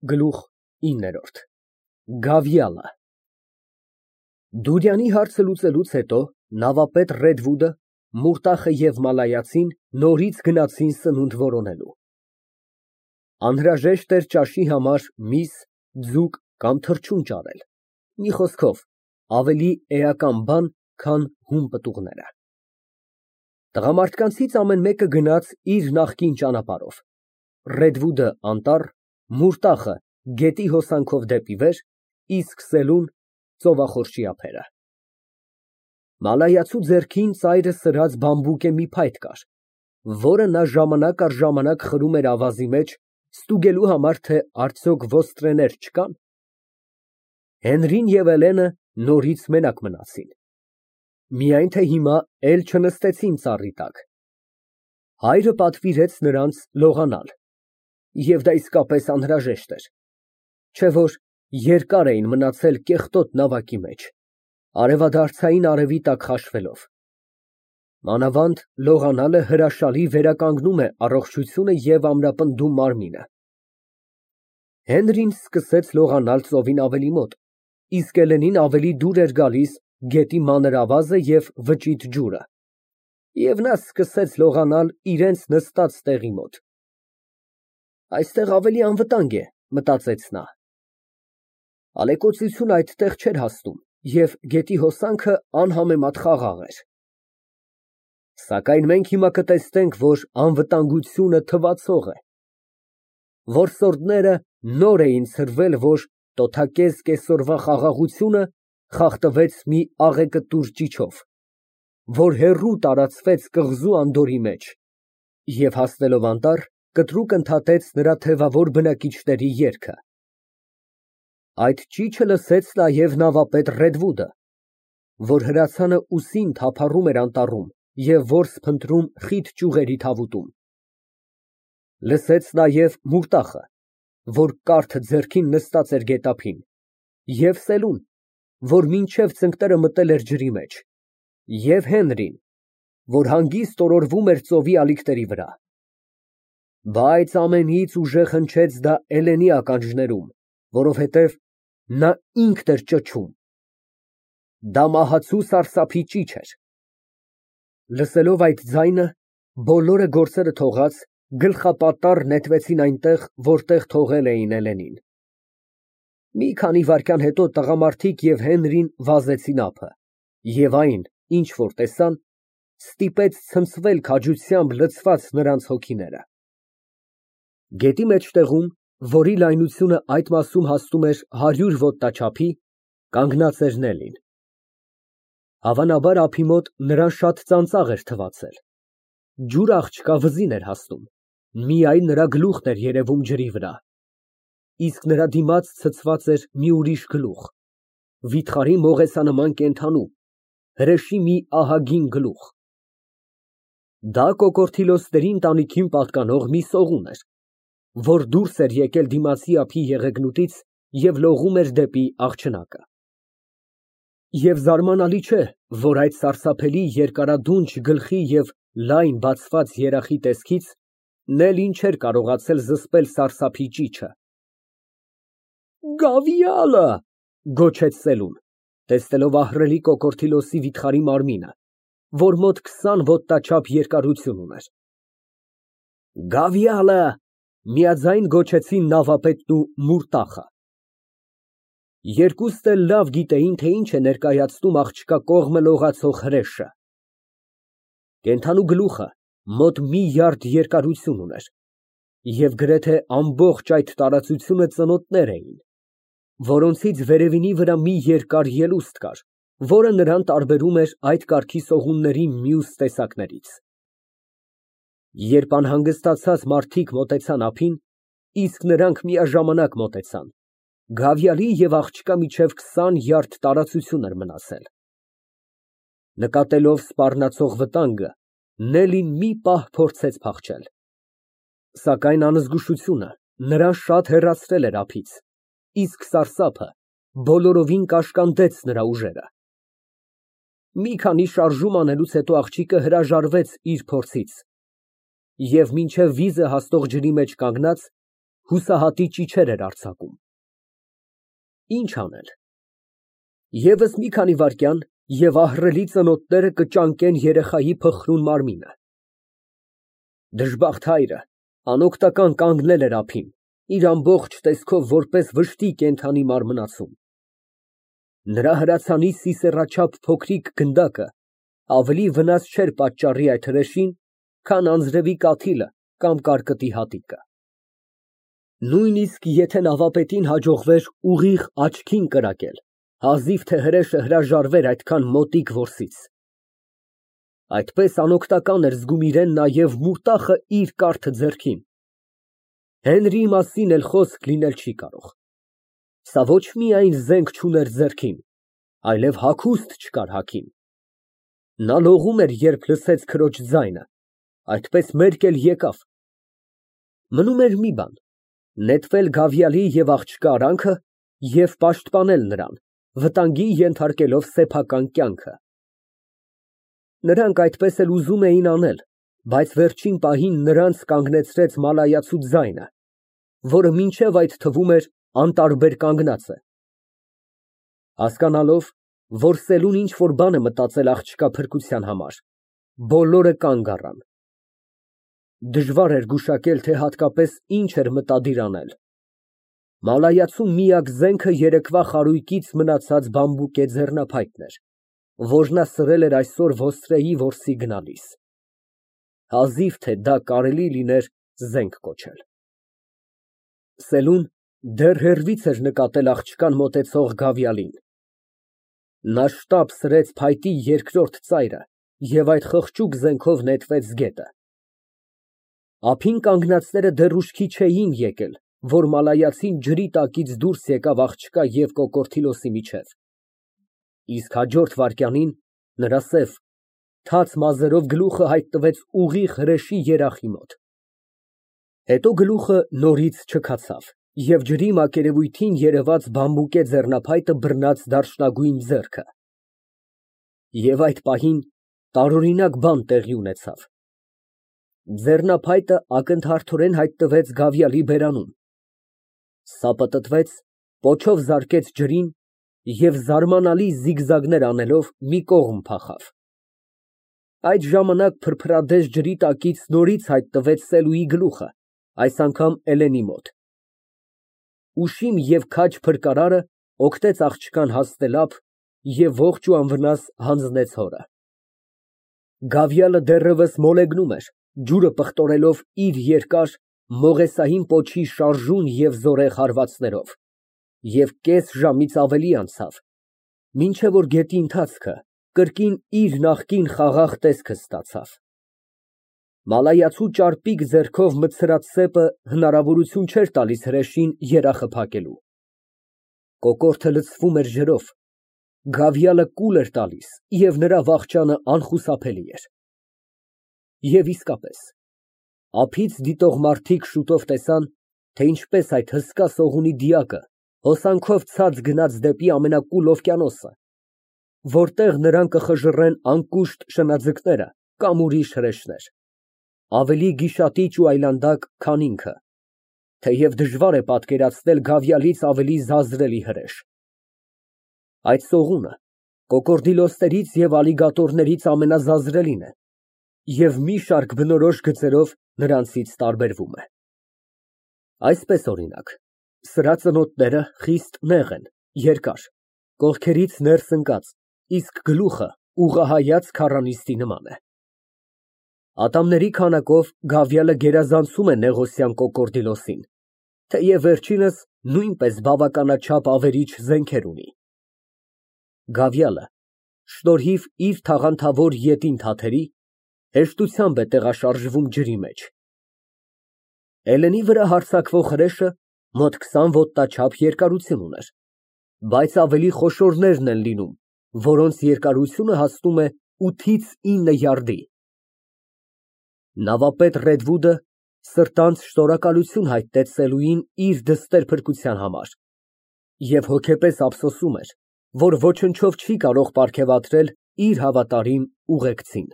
Գլուխ 9 Գավիալը Դուրյանի հարցը լուծելուց հետո նավապետ Ռեդվուդը, Մուրտախը և Մալայացին նորից գնացին սնունդ որոնելու։ Անհրաժեշտ էր ճաշի համար միս, ձուկ կամ թռչուն ճարել, մի խոսքով, ավելի էական բան, քան հում պտուղները։ Տղամարդկանցից ամեն մեկը գնաց իր նախկին ճանապարհով, Ռեդվուդը անտառ, Մուրտախը գետի հոսանքով դեպի վեր, իսկ Սելուն ծովախորշի ափերը։ Մալայացու ձեռքին ծայրը սրած բամբուկե մի փայտ կար, որը նա ժամանակ առ ժամանակ խրում էր ավազի մեջ, ստուգելու համար, թե արդյոք ոստրեներ չկան։ Հենրին և Էլենը նորից մենակ մնացին, միայն թե հիմա էլ չնստեցին ծառի տակ։ Հայրը պատվիրեց նրանց լողանալ, և դա իսկապես անհրաժեշտ էր, չէ որ երկար էին մնացել կեղտոտ նավակի մեջ, արևադարձային արևի տակ խաշվելով։ Մանավանդ լողանալը հրաշալի վերականգնում է առողջությունը և ամրապնդում մարմինը։ Հենրին սկսեց լողանալ ծովին ավելի մոտ, իսկ Էլենին ավելի դուր էր գալիս գետի մանր ավազը և վճիտ ջուրը, և նա սկսեց լողանալ իրենց նստած տեղի մոտ։ Այստեղ ավելի անվտանգ է, մտածեց նա։ Ալեկոծությունը այդտեղ չէր հասնում, և գետի հոսանքը անհամեմատ խաղաղ էր։ Սակայն մենք հիմա կտեսնենք, որ անվտանգությունը թվացող է։ Որսորդները նոր էին ցրվել, որ տոթակեզ կեսօրվա խաղաղությունը խախտվեց մի աղեկտուր ճիչով, որ հեռու տարածվեց կղզու անդորի մեջ, և հասնելով անտառ, կտրուկ ընդհատեց նրա թևավոր բնակիչների երգը։ Այդ ճիչը լսեց նաև նավապետ Ռեդվուդը, որ հրացանը ուսին թափառում էր անտառում և որս փնտրում խիտ ճյուղերի թավուտում։ Լսեց նաև Մուրտախը, որ կարթ ձեռքին նստած էր գետափին, և Սելուն, որ մինչև ծնկները մտել էր ջրի մեջ, և Հենրին, որ հանգիստ օրորվում էր ծովի ալիքների վրա։ Բայց ամենից ուժեղ հնչեց դա Էլենի ականջներում, որովհետև նա ինքն էր ճչում։ Դա մահացու սարսափի ճիչ էր։ Լսելով այդ ձայնը, բոլորը գործերը թողած, գլխապատառ նետվեցին այնտեղ, որտեղ թողել էին Էլենին։ Մի քանի վայրկյան հետո տղամարդիկ և Հենրին վազեցին ափը, և այն, ինչ որ տեսան, ստիպեց ցնցվել քաջությամբ լցված նրանց հոգիները։ Գետի մեջտեղում, որի լայնությունը այդ մասում հասնում էր 100 ոտնաչափի, կանգնած էր Նելին։ Հավանաբար ափի մոտ նրան շատ ծանծաղ էր թվացել։ Ջուր աղջկա վզին էր հասնում, միայն նրա գլուխն էր երևում ջրի վրա, իսկ նրա դիմաց ցցված էր մի ուրիշ գլուխ, վիթխարի մողեսանման կենդանու, հրեշի մի ահագին գլուխ։ Դա Կոկորդիլոսների ընտանիքին պատկանող մի սողուն էր, որ դուրս էր եկել դիմացի ափի եղեգնուտից և լողում էր դեպի աղջնակը։ Եվ զարմանալի չէ, որ այդ սարսափելի երկարադունչ գլխի և լայն բացված երախի տեսքից Նելին չէր կարողացել զսպել սարսափի ճիչը։ Գավիալը, գոչեց Սելուն, տեսնելով ահռելի Կոկորդիլոսի վիթխարի մարմինը, որ մոտ 20 ոտնաչափ երկարություն ուներ։ Գավիալը, միաձայն գոչեցին նավապետն ու Մուրտախը։ Երկուսն էլ լավ գիտեին, թե ինչ է ներկայացնում աղջկա կողմը լողացող հրեշը։ Կենդանու գլուխը մոտ մի յարդ երկարություն ուներ, և գրեթե ամբողջ այդ տարածությունը ծնոտներ էին, որոնցից վերևինի վրա մի երկար ելուստ կար, որը նրան տարբերում էր այդ կարգի սողունների մյուս տեսակներից։ Երբ անհանգստացած մարդիկ մոտեցան ափին, իսկ նրանք միաժամանակ մոտեցան, Գավիալի և աղջկա միջև 20 յարդ տարածություն էր մնացել։ Նկատելով սպառնացող վտանգը, Նելին մի պահ փորձեց փախչել, սակայն անզգուշությունը նրան շատ հեռացրել էր ափից, իսկ սարսափը բոլորովին կաշկանդեց նրա ուժերը։ Մի քանի շարժում անելուց հետո աղջիկը հրաժարվեց իր փորձից և մինչև վիզը հասնող ջրի մեջ կանգնած, Հուսահատի ճիչեր էր արձակում։ Ինչ անել։ Եվս մի քանի վայրկյան, և ահռելի ծնոտները կճանկեն երեխայի փխրուն մարմինը։ Դժբախտ հայրը անօգնական կանգնել էր ափին, իր ամբողջ տեսքով որպես վշտի կենդանի մարմնացում։ Նրա հրացանի սիսեռաչափ փոքրիկ գնդակը ավելի վնաս չէր պատճառի այդ հրեշին, քան անձրևի կաթիլը կամ կարկտի հատիկը։ Նույնիսկ եթե նավապետին հաջողվեր ուղիղ աչքին կրակել, հազիվ թե հրեշը հրաժարվեր այդքան մոտիկ որսից։ Այդպես անօգնական էր զգում իրեն նաև մուրտախը իր կարթը ձեռքին։ Հենրիի մասին էլ խոսք լինել չի կարող։ Սա ոչ միայն զենք չուներ ձեռքին, այլև հագուստ չկար հագին։ Նա լողում էր, երբ լսեց քրոջ ձայնը, այդպես մերկ էլ եկավ։ Մնում էր մի բան՝ նետվել Գավիալի և աղջկա արանքը և պաշտպանել նրան, վտանգի ենթարկելով սեփական կյանքը։ Նրանք այդպես էլ ուզում էին անել, բայց վերջին պահին նրանց կանգնեցրեց մալայացու ձայնը, որը մինչև այդ թվում էր անտարբեր կանգնած է։ Հասկանալով, որ սելուն ինչ֊որ բան է մտածել աղջկա փրկության համար, բոլորը կանգ առան։ Դժվար էր գուշակել, թե հատկապես ինչ էր մտադիր անել։ Մալայացու միակ զենքը երեկվա խարույկից մնացած բամբուկե ձեռնափայտն էր, որ նա սրել էր այսօր ոստրեի որսի գնալիս։ Հազիվ թե դա կարելի լիներ զենք կոչել։ Սելուն դեռ հեռվից էր նկատել աղջկան մոտեցող Գավիալին։ Նա շտապ սրեց փայտի երկրորդ ծայրը և այդ խղճուկ զենքով նետվեց գետը։ Ափին կանգնածները դեռ ուշքի չէին եկել, որ մալայացին ջրի տակից դուրս եկավ աղջկա և կոկորդիլոսի միջև։ Իսկ հաջորդ վայրկյանին նրա սև, թաց մազերով գլուխը հայտնվեց ուղիղ հրեշի երախի մոտ։ Հետո գլուխը նորից չքացավ, և ջրի մակերևույթին երևաց բամբուկե ձեռնափայտը բռնած դարչնագույն ձեռքը։ Եվ այդ պահին տարօրինակ բան տեղի ունեցավ։ Ձեռնափայտը ակնթարթորեն հայտնվեց Գավիալի բերանում։ Սա պտտվեց, պոչով զարկեց ջրին և զարմանալի զիգզագներ անելով մի կողմ փախավ։ Այդ ժամանակ փրփրադես ջրի տակից նորից հայտնվեց Սելուի գլուխը, այս անգամ Էլենի մոտ։ Ուշիմ և քաջ փրկարարը օգնեց աղջկան հասնել ափ և ողջ ու անվնաս հանձնեց հորը։ Գավիալը դեռևս մոլեգնում էր, ջուրը պղտորելով իր երկար, մողեսային պոչի շարժուն և զորեղ հարվածներով, և կես ժամից ավելի անցավ, մինչև որ գետի ընթացքը կրկին իր նախկին խաղաղ տեսքը ստացավ։ Մալայացու ճարպիկ ձեռքով մտցրած սեպը հնարավորություն չէր տալիս հրեշին երախը փակելու։ Կոկորդը լցվում էր ջրով, Գավիալը կուլ էր տալիս, և նրա վախճանը անխուսափելի էր։ Եվ իսկապես, ափից դիտող մարդիկ շուտով տեսան, թե ինչպես այդ հսկա սողունի դիակը հոսանքով ցած գնաց դեպի ամենակուլ օվկիանոսը, որտեղ նրան կխժռեն անկուշտ շնաձկները կամ ուրիշ հրեշներ, ավելի գիշատիչ ու այլանդակ, քան ինքը, թեև դժվար է պատկերացնել Գավիալից ավելի զազրելի հրեշ։ Այդ սողունը կոկորդիլոսներից և ալիգատորներից ամենազազրելին է և մի շարք բնորոշ գծերով նրանցից տարբերվում է։ Այսպես, օրինակ, սրա ծնոտները խիստ նեղ են, երկար, կողքերից ներս ընկած, իսկ գլուխը ուղղահայաց քառանիստի նման է։ Ատամների քանակով Գավիալը գերազանցում է նեղոսյան կոկորդիլոսին, թեև վերջինս նույնպես բավականաչափ ավերիչ զենքեր ունի։ Գավիալը, շնորհիվ իր թաղանթավոր ետին թաթերի, հեշտությամբ է տեղաշարժվում ջրի մեջ։ Էլենի վրա հարձակվող հրեշը մոտ 20 ոտնաչափ երկարություն ուներ, բայց ավելի խոշորներն են լինում, որոնց երկարությունը հասնում է 8-ից 9 յարդի։ Նավապետ Ռեդվուդը սրտանց շնորհակալություն հայտնեց Սելուին իր դստեր փրկության համար և հոգեպես ափսոսում էր, որ ոչնչով չի կարող պարգևատրել իր հավատարիմ ուղեկցին։